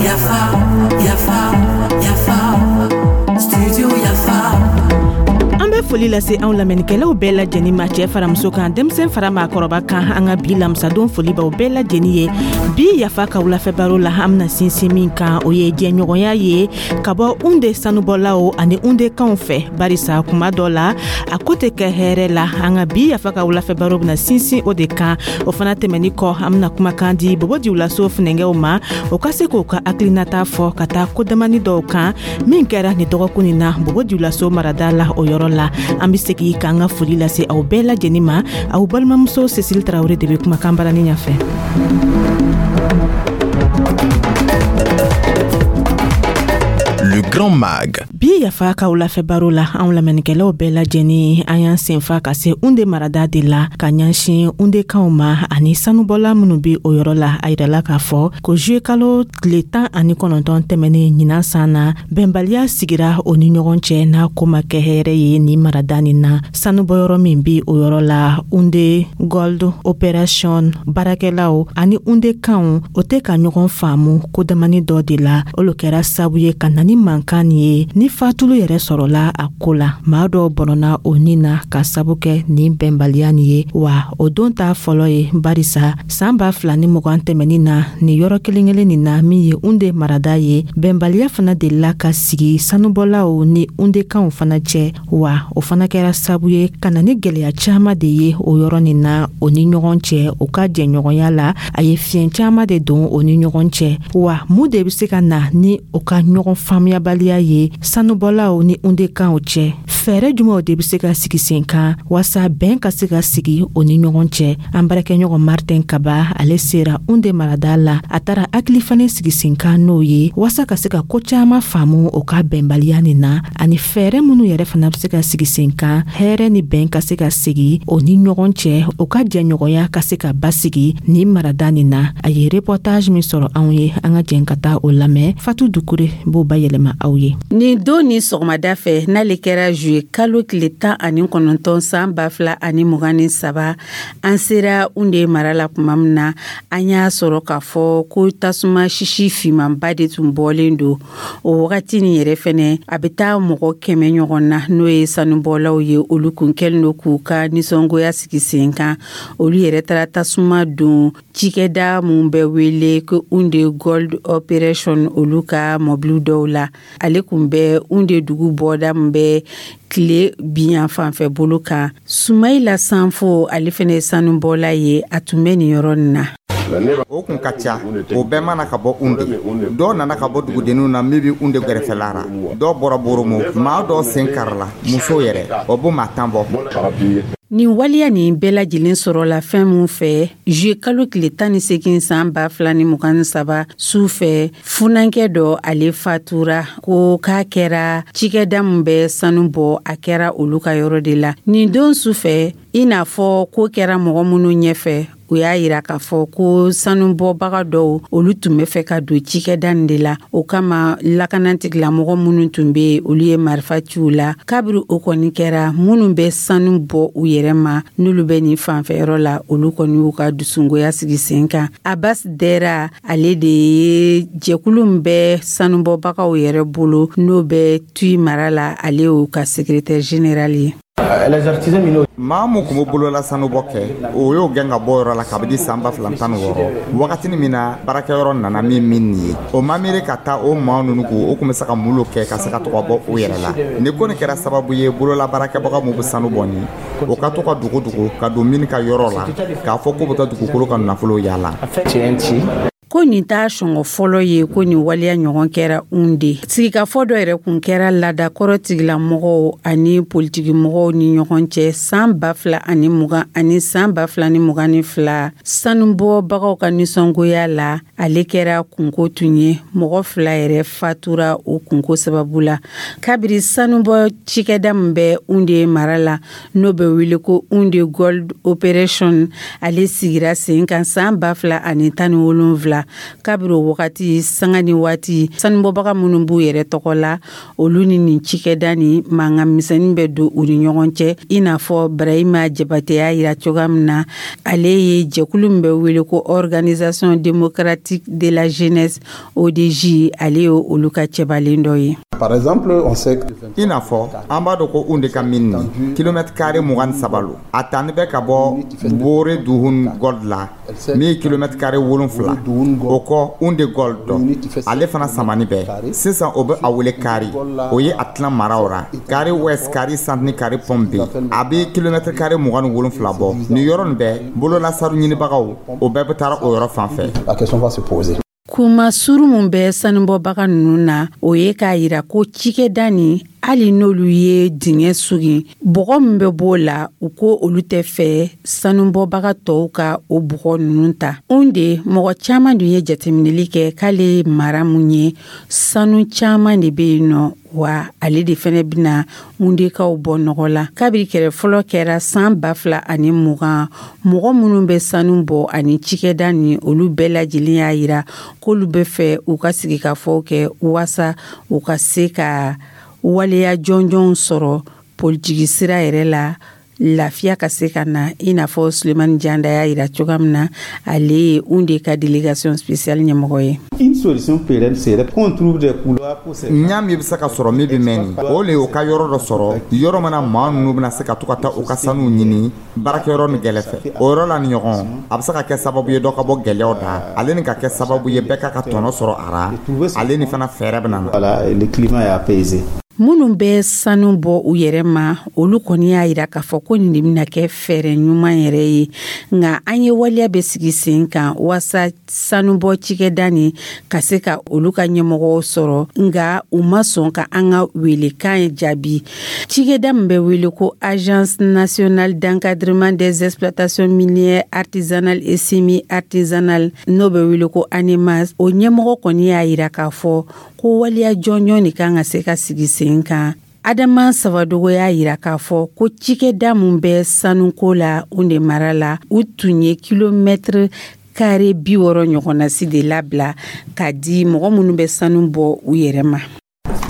Yafa, yafa, yafa, studio Yafa. An bɛ foli lase anw lamɛnnikɛlaw bɛɛ lajɛnin ma, cɛɛ fara muso kan, denmisɛn fara maakɔrɔba kan. An ka bi lamisadon foli b'aw bɛɛ lajɛnin ye. Bi Yafa ka wulafɛ baro la, an bena sinsin min kan, o ye jɛɲɔgɔnya ye ka bɔ Unde sanubɔlaw ani Undekanw fɛ, barisa kuma dɔ la a ko tɛ kɛ hɛrɛ la. An ka bi Yafa ka wulafɛ baro bena sinsin o de kan. O fana tɛmɛni kɔ, an bena kumakan di Bobo Dioulasso funɛngɛw ma, o ka se k'o ka hakilinata fɔ ka taa kodamani dɔw kan min kɛra nin dɔgɔkun nin na Bobo Dioulasso marada la. O yɔrɔ la, an be segi k'an ka foli lase aw bɛɛ lajɛnin ma. Aw balimamuso Cécile Tarawure de be kumakan barani ɲafɛ. Le Grand Mag. Bi Yafa ka wulafɛ baro la, anw lamɛnnikɛlaw bɛɛ lajɛnin, an y'an senfa ka se Unde marada de la ka ɲɛsin Undekanw ma ani sanubɔla minnu be o yɔrɔ la. A yirala k'a fɔ ko juye kalo tile 19 tɛmɛnen ɲinan san na, bɛnbaliya sigira o ni ɲɔgɔn cɛ n'a ko ma kɛ hɛrɛ ye nin marada nin na. Sanubɔyɔrɔ min be o yɔrɔ la, Unde Gold Operation baarakɛlaw ani Undekanw, o tɛ ka ɲɔgɔn faamu ko damani dɔ de la. O lo kɛra sabu ye ka na ni mankan nin ye, ni fatulu yɛrɛ sɔrɔla a ko la. Maa dɔw bɔnɔna o nin na ka sabu kɛ nin bɛnbaliya nin ye. Wa o don t'a fɔlɔ ye, barisa saan 2020 tɛmɛnin na, nin yɔrɔ kelen kelen nin na min ye Unde marada ye, bɛnbaliya fana delila ka sigi sanubɔlaw ni Undekanw fana cɛ. Wa o fana kɛra sabu ye ka na ni gwɛlɛya caaman de ye o yɔrɔ nin na o ni ɲɔgɔn cɛ. O ka jɛɲɔgɔnya la, a ye fiɲɛ caaman de don o ni ɲɔgɔn cɛ. Wa mun de be se ka na ni o ka ɲɔgɔn faamuyabaliya ye sanubɔlaw ni Undekanw cɛ? Fɛɛrɛ jumɛnw de be se ka sigi sen kan waasa bɛn ka se ka sigi o ni ɲɔgɔn cɛ? An baarakɛɲɔgɔn Martin Kaba, ale sera Unde marada la. A taara hakili fana sigi sen kan n'o ye waasa ka se ka ko caaman faamu o ka bɛnbaliya nin na, ani fɛɛrɛ minnu yɛrɛ fana be se ka sigi sen kan hɛrɛ ni bɛn ka se ka sigi o ni ɲɔgɔn cɛ, o ka jɛɲɔgɔnya ka se ka basigi nin marada nin na. A ye reportage min sɔrɔ anw ye, an ka jɛn ka taa o lamɛn. Fatu Dukure b'o bayɛlɛma aw ye. Nin don ni sɔgɔmada fɛ, n'ale kɛra juye kalo tile 19 san 2023, an sera Unde mara la tuma min na, an y'a sɔrɔ k'a fɔ ko tasuma sisi finmanba de tun bɔlen don. O wagati nin yɛrɛ fɛnɛ, a bɛ taa mɔgɔ 100 ɲɔgɔn na, n'o ye sanubɔlaw ye, olu kun kɛlen don k'u ka nisɔngoya sigi sen kan. Olu yɛrɛ taara tasuma don cikɛda mun bɛ wele ko Unde Gold Operation, olu ka mɔbiliw dɔw la. Ale kun bɛ Unde dugu bɔda min bɛ tile biyan fanfɛ bolo kan. Sumayila Sanfo, ale fɛnɛ ye sanubɔla ye, a tun bɛ nin yɔrɔ nin na. O kun ka ca, o bɛɛ mana ka bɔ Unde. Dɔw nana ka bɔ dugudenninw na min bɛ Unde gɛrɛfɛla ra, dɔw bɔra Boromo, maa dɔw sen karila, musow yɛrɛ, o bɛ maa 10 bɔ. Nin waleya nin bɛɛ lajɛlen sɔrɔla fɛn min fɛ, juye kalo tile 18 san 2023 su fɛ, funankɛ dɔ, ale fatura ko k'a kɛra cikɛda min bɛ sanu bɔ, a kɛra olu ka yɔrɔ de la. Nin don su fɛ, i n'a fɔ ko kɛra mɔgɔ minnu ɲɛfɛ, u y'a yira k'a fɔ ko sanubɔbaga dɔw, olu tun bɛ fɛ ka don cikɛda nin de la. O kama, lakanatigilamɔgɔ minnu tun bɛ yen, olu ye marifa ci u la. Kabiri o kɔni kɛra, minnu bɛ sanu bɔ u yɛrɛ ma, n'olu bɛ nin fanfɛyɔrɔ la, olu kɔni y'u ka dusungoya sigi sen kan. Abbas Dɛra, ale de ye jɛkulu min bɛ sanubɔbagaw yɛrɛ bolo, n'o bɛ Tuy mara la, ale y'o ka secrétaire général ye. Maa mun kun bɛ bolola sanubɔ kɛ, o y'o gɛn ka bɔ yɔrɔ la kabini san 2016, wagatini min na baarakɛyɔrɔ nana min min nin ye. O ma miiri ka taa o maa ninnu kun, o kun bɛ se ka mun lo kɛ ka se ka to ka bɔ o yɛrɛ la. Nin ko nin kɛra sababu ye, bolola baarakɛbaga mun bɛ sanu bɔ nin, o ka to ka dogo dogo ka don min ka yɔrɔ la k'a fɔ k'u bɛ taa dugukolo ka nafolo yaala. Ko nin t'a sɔngɔ fɔlɔ ye ko nin waleya ɲɔgɔn kɛra Unde. Sigikafɔ dɔ yɛrɛ kun kɛra laadakɔrɔ tigilamɔgɔw ani politikimɔgɔw ni ɲɔgɔn cɛ san 2020 ani san 2022 sanubɔbagaw ka nisɔngoya la. Ale kɛra kunko tun ye, mɔgɔ 2 yɛrɛ fatura o kunko sababu la. Kabiri sanubɔ cikɛda min bɛ Unde mara la, n'o bɛ wele ko Unde Gold Operation, ale sigira sen kan san 2017. la. Kabiri o wagati, sanga ni waati, sanubɔbaga minnu b'u yɛrɛ tɔgɔ la, olu ni nin cikɛda ni mankan misɛnnin bɛ don u ni ɲɔgɔn cɛ. I n'a fɔ Barahima Jabate y'a yira cogoya min na, ale ye jɛkulu min bɛ wele ko Organisation démocratique de la jeunesse, ODJ, ale ye olu ka cɛbalen dɔ ye. Par exemple, on sait que I n'a fɔ an b'a dɔn ko Unde ka mine nin, kilomètre carré 23 lo. A tani bɛ ka bɔ Bore Duhun Gold la, min ye kilomètre carré 7. O kɔ, Unde Gold dɔ, ale fana samani bɛɛ sisan, o bɛ a wele Kari. O ye a tilan maraw ra, Kari West, Kari Centre ni Kari Pɔmpe. A bɛ kilomètre carré 27 bɔ. Nin yɔrɔ nin bɛɛ, bololasanu ɲinibagaw, o bɛɛ bɛ taara o yɔrɔ fan fɛ. La question va se poser. Kuma suru mun bɛ sanubɔbaga ninnu na, o ye k'a yira ko cikɛda nin, hali n'olu ye dingɛ sogin, bɔgɔ min bɛ b'o la, u ko olu tɛ fɛ sanubɔbaga tɔw ka o bɔgɔ ninnu ta. De mɔgɔ caman dun ye jateminɛli kɛ k'ale mara mun ye, sanu caman de bɛ yen nɔ, wa ale de fɛnɛ bɛna Undekaw bɔ nɔgɔ la. Kabiri kɛlɛ fɔlɔ kɛra san 2020, mɔgɔ minnu bɛ sanu bɔ ani cikɛda ni, olu bɛɛ lajɛlen y'a yira k'olu bɛ fɛ u ka sigikafɔw kɛ waasa u ka se ka waleya jɔnjɔnw sɔrɔ politiki sira yɛrɛ la, lafiya ka se ka na. I n'a fɔ Sulemani Janda y'a yira cogoya min na, ale ye Unde ka délégation spéciale ɲɛmɔgɔ ye. Une solution pérenne serait qu'on trouve des couloirs pour ces Ɲa min bɛ se ka sɔrɔ min bɛ mɛn nin, o le ye u ka yɔrɔ dɔ sɔrɔ, yɔrɔ min na maa ninnu bɛna se ka to ka taa u ka sanuw ɲini baarakɛyɔrɔ ni gɛlɛ fɛ. O yɔrɔ la ni ɲɔgɔn, a bɛ se ka kɛ sababu ye dɔ ka bɔ gɛlɛyaw da ale ni ka kɛ sababu ye bɛɛ ka tɔnɔ sɔrɔ a ra. Ale ni fana fɛɛrɛ bɛ na. Voilà, le climat est apaisé. Minnu bɛ sanu bɔ u yɛrɛ ma, olu kɔni y'a yira k'a fɔ ko nin de bɛna kɛ fɛɛrɛ ɲuman yɛrɛ ye. Nka an ye waleya bɛ sigi sen kan waasa sanubɔ cikɛda nin ka se ka olu ka ɲɛmɔgɔw sɔrɔ, nka u ma sɔn ka an ka welekan jaabi. Cikɛda min bɛ wele ko Agence nationale d'encadrement des exploitations minières artisanales et semi artisanales, n'o bɛ wele ko ANEMAS, o ɲɛmɔgɔ kɔni y'a yira k'a fɔ ko waleya jɔnjɔn de kan ka se ka sigi sen kan. Adama Sawadogo y'a yira k'a fɔ ko cikɛda min bɛ sanuko la Unde mara la, u tun ye kilomɛtiri kare 60 ɲɔgɔnnasi de labila k'a di mɔgɔ minnu bɛ sanu bɔ u yɛrɛ ma.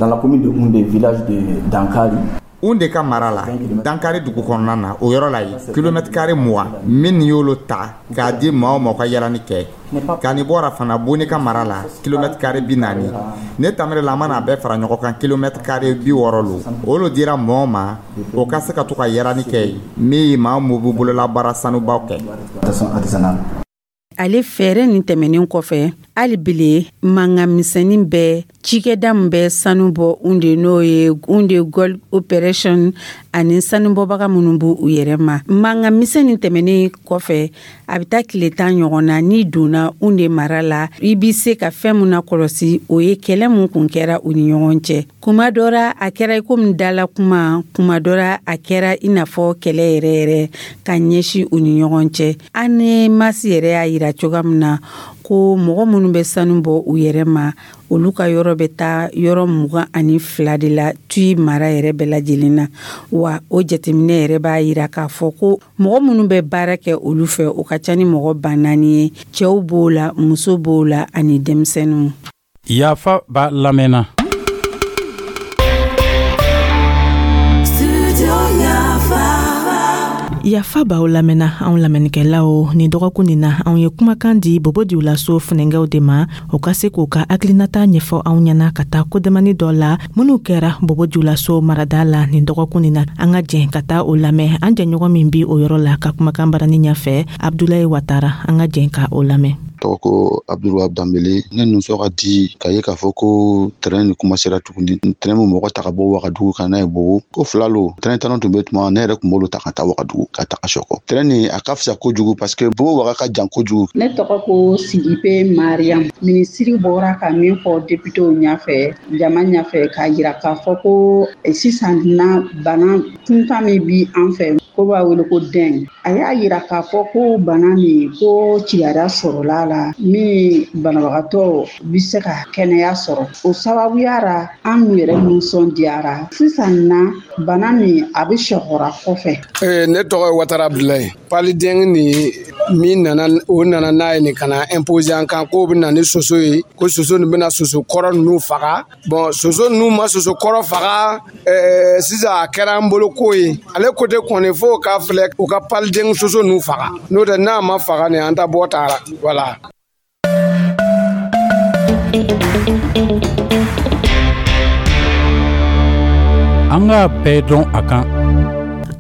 Dans la commune de Houndé, village de Dankari, Unde ka mara la, Dankari dugu kɔnɔna na, o yɔrɔ la yen, kilomètre carré 20 min y'olu ta k'a di maaw ma u ka yalani kɛ. Ka nin bɔra fana, Boni ka mara la, kilomètre carré 40. Ne tamiri la, an mana a bɛɛ fara ɲɔgɔn kan, kilomètre carré 60 lo. Olu dira mɔɔ ma, o ka se ka to ka yalani kɛ yen, min ye maa mun b'u bolola baara sanubaw kɛ. Artisanale. Ale fɛɛrɛ nin tɛmɛnen kɔfɛ, hali bile mankan misɛnnin bɛ cikɛda min bɛ sanu bɔ Unde, n'o ye Unde Gold Operation, ani sanubɔbaga minnu b'u u yɛrɛ ma. Mankan misɛnnin tɛmɛnen kɔfɛ, a bɛ taa tile 10 ɲɔgɔn na, n'i donna Unde mara la, i bɛ se ka fɛn mun na kɔlɔsi, o ye kɛlɛ mun kun kɛra u ni ɲɔgɔn cɛ. Kuma dɔ la a kɛra i komi dala kuma, kuma dɔ la a kɛra i n'a fɔ kɛlɛ yɛrɛ yɛrɛ ka ɲɛsin u ni ɲɔgɔn cɛ. ANEMAS yɛrɛ y'a yira cogoya min na ko mɔgɔ minnu bɛ sanu bɔ u yɛrɛ ma, olu ka yɔrɔ bɛ taa yɔrɔ 22 de la Tui mara yɛrɛ bɛɛ lajɛlen na. Wa o jateminɛ yɛrɛ b'a yira k'a fɔ ko mɔgɔ minnu bɛ baara kɛ olu fɛ, o ka ca ni mɔgɔ 4000 ye. Cɛw b'o la, muso b'o la, ani denmisɛnninw. Yafa b'a lamɛnna. Studio Yafa. Yafa b'aw lamɛnna, anw lamɛnnikɛlaw. Nin dɔgɔkun nin na, anw ye kumakan di Bobo Dioulasso funɛngɛw de ma, o ka se k'u ka hakilinata ɲɛfɔ anw ɲɛna ka taa kodamani dɔ la minnu kɛra Bobo Dioulasso marada la nin dɔgɔkun nin na. An ka jɛn ka taa o lamɛn. An jɛɲɔgɔn min bi o yɔrɔ la ka kumakan barani ɲɛfɛ, Abdulayi Watara, an ka jɛn ka o lamɛn. Tɔgɔ ko Abdulwahab Danbele. Ne nisɔn ka di k'a ye k'a fɔ ko train ni kuma sera tuguni. Train min mɔgɔ ta ka bɔ Wagadugu ka n'a ye Bobo, ko fila lo. Train tanɔ tun bɛ tuma, ne yɛrɛ tun b'olu ta ka taa Wagadugu ka taga Sɔkɔ. Train nin a ka fisa kojugu parce que Bobo Waga ka jan kojugu. Ne tɔgɔ ko Sidibe Mariam. Minisiri bɔra ka min fɔ députéw ɲɛfɛ, jama ɲɛfɛ, k'a yira k'a fɔ ko sisan na bana kuntan min bi an fɛ, ko b'a wele ko dengue. A y'a yira k'a fɔ ko bana nin, ko kibaruya sɔrɔla la min banabagatɔ bɛ se ka kɛnɛya sɔrɔ. O sababuya ra, an yɛrɛ nisɔndiyara. Sisan na bana nin a bɛ sɔgɔra kɔfɛ. Ne tɔgɔ ye Watara Abdulayi. Paludisme nin Min nana, o nana n'a ye nin ka na imposer an kan k'o bɛ na ni soso ye, ko soso nin bɛna soso kɔrɔ ninnu faga. Bon, soso ninnu ma soso kɔrɔ faga. Sisan a kɛra an bolo ko ye. Ale côté kɔni, fo k'a filɛ u ka paliden soso ninnu faga, n'o tɛ n'a ma faga nin, an ta bɔ taara, voilà. An k'a bɛɛ dɔn a kan.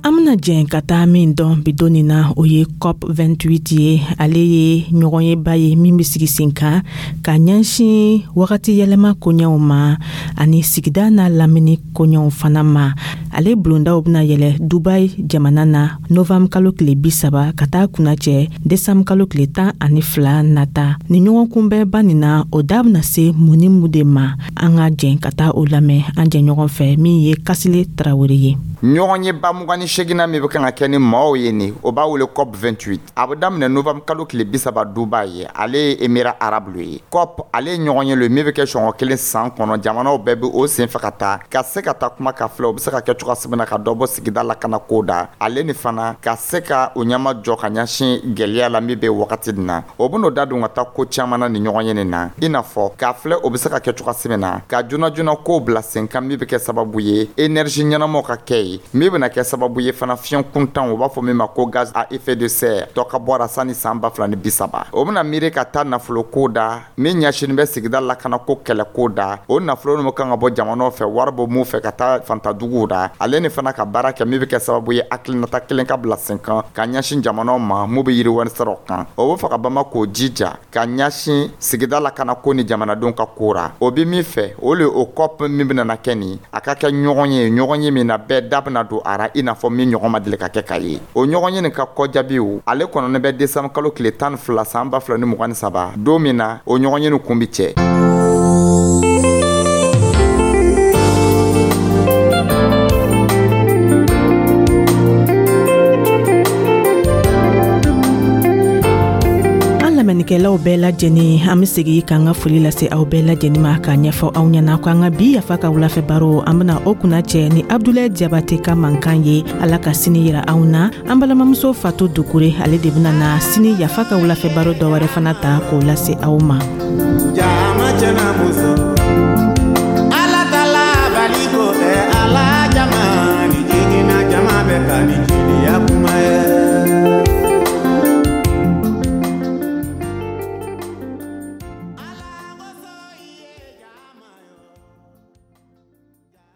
An bena jɛn ka taa min dɔn bi don nin na, o ye COP 28 ye. Ale ye ɲɔgɔnyeba ye min be sigi sen kan ka ɲɛsin wagati yɛlɛma koɲɛw ma ani sigida n'a lamini koɲɛw fana ma. Ale bulondaw bena yɛlɛ Dubai jamana na novanburu kalo tile 30 ka taa kunnacɛ desanburu kalo tile 12 nata. Ni ɲɔgɔn kunbɛnba nin na, o da bena se mun ni mun de ma? An ka jɛn ka taa o lamɛn an jɛɲɔgɔn fɛ, min ye Kasile Tarawele ye. Ɲɔgɔn ye ba 28nan min bɛ kan ka kɛ ni maaw ye nin, o b'a wele COP 28. A bɛ daminɛ novembre kalo tile 30 Dubai ye, ale ye Émirats arabes ye. COP, ale ye ɲɔgɔn ye lo min bɛ kɛ sɔngɔ kelen san kɔnɔ. Jamanaw bɛɛ bɛ o sen fɛ ka taa ka se ka taa kuma ka filɛ o bɛ se ka kɛ cogoya min na ka dɔ bɔ sigida lakana ko da, ale ni fana ka se ka o ɲɛma jɔ ka ɲɛsin gɛlɛya la min bɛ wagati nin na. O bɛn'o da don ka taa ko caman na ni ɲɔgɔn ye nin na, i n'a fɔ k'a filɛ o bɛ se ka kɛ cogoya min na ka joona joona kow bila sen kan min bɛ kɛ sababu ye énergie ɲɛnamaw ka kɛ ye, min bɛna kɛ sababu ye fana fiɲɛ kuntan, u b'a fɔ min ma ko gaz à effet de serre, dɔ ka bɔ a sanni san 2030. O bɛna miiri ka taa nafolo ko da min ɲɛsinnen bɛ sigida lakana ko kɛlɛ ko da, o nafolo ninnu kan ka bɔ jamanaw fɛ, wari bɔ mun fɛ ka taa fantaduguw da, ale ni fana ka baara kɛ min bɛ kɛ sababu ye hakilinata kelen ka bila sen kan ka ɲɛsin jamanaw ma mun bɛ yiriwari siraw kan. O bɛ fɛ ka bama k'o jija ka ɲɛsin sigida lakana ko ni jamanadenw ka ko ra. O bɛ min fɛ, o le o COP min bɛna na kɛ nin, a ka kɛ ɲɔgɔn ye, ɲɔgɔn ye min na bɛɛ da bɛna don a ra, i n'a fɔ min ɲɔgɔn ma deli ka kɛ ka ye. O ɲɔgɔn ye nin ka kɔjaabiw, ale kɔnɔnen bɛ décembre kalo tile 12 san 2023, don min na o ɲɔgɔn ye nin kun bi cɛ. Lamɛnnikɛlaw bɛɛ lajɛlen, an be segi k'an ka foli lase aw bɛɛ lajɛlen ma, k'a ɲɛfɔ aw ɲɛna ko an ka bi Yafa ka wulafɛ baro, an bena o kunna cɛ ni Abdulayi Jabate ka mankan ye. Ala ka sini yira anw na. An balimamuso Fatu Dukure, ale de bena na sini Yafa ka wulafɛ baro dɔ wɛrɛ fana ta k'o lase aw ma. Jama cɛna muso, Ala tala baliko ɛ, ala jama ni jigina, jama bɛ ka ni.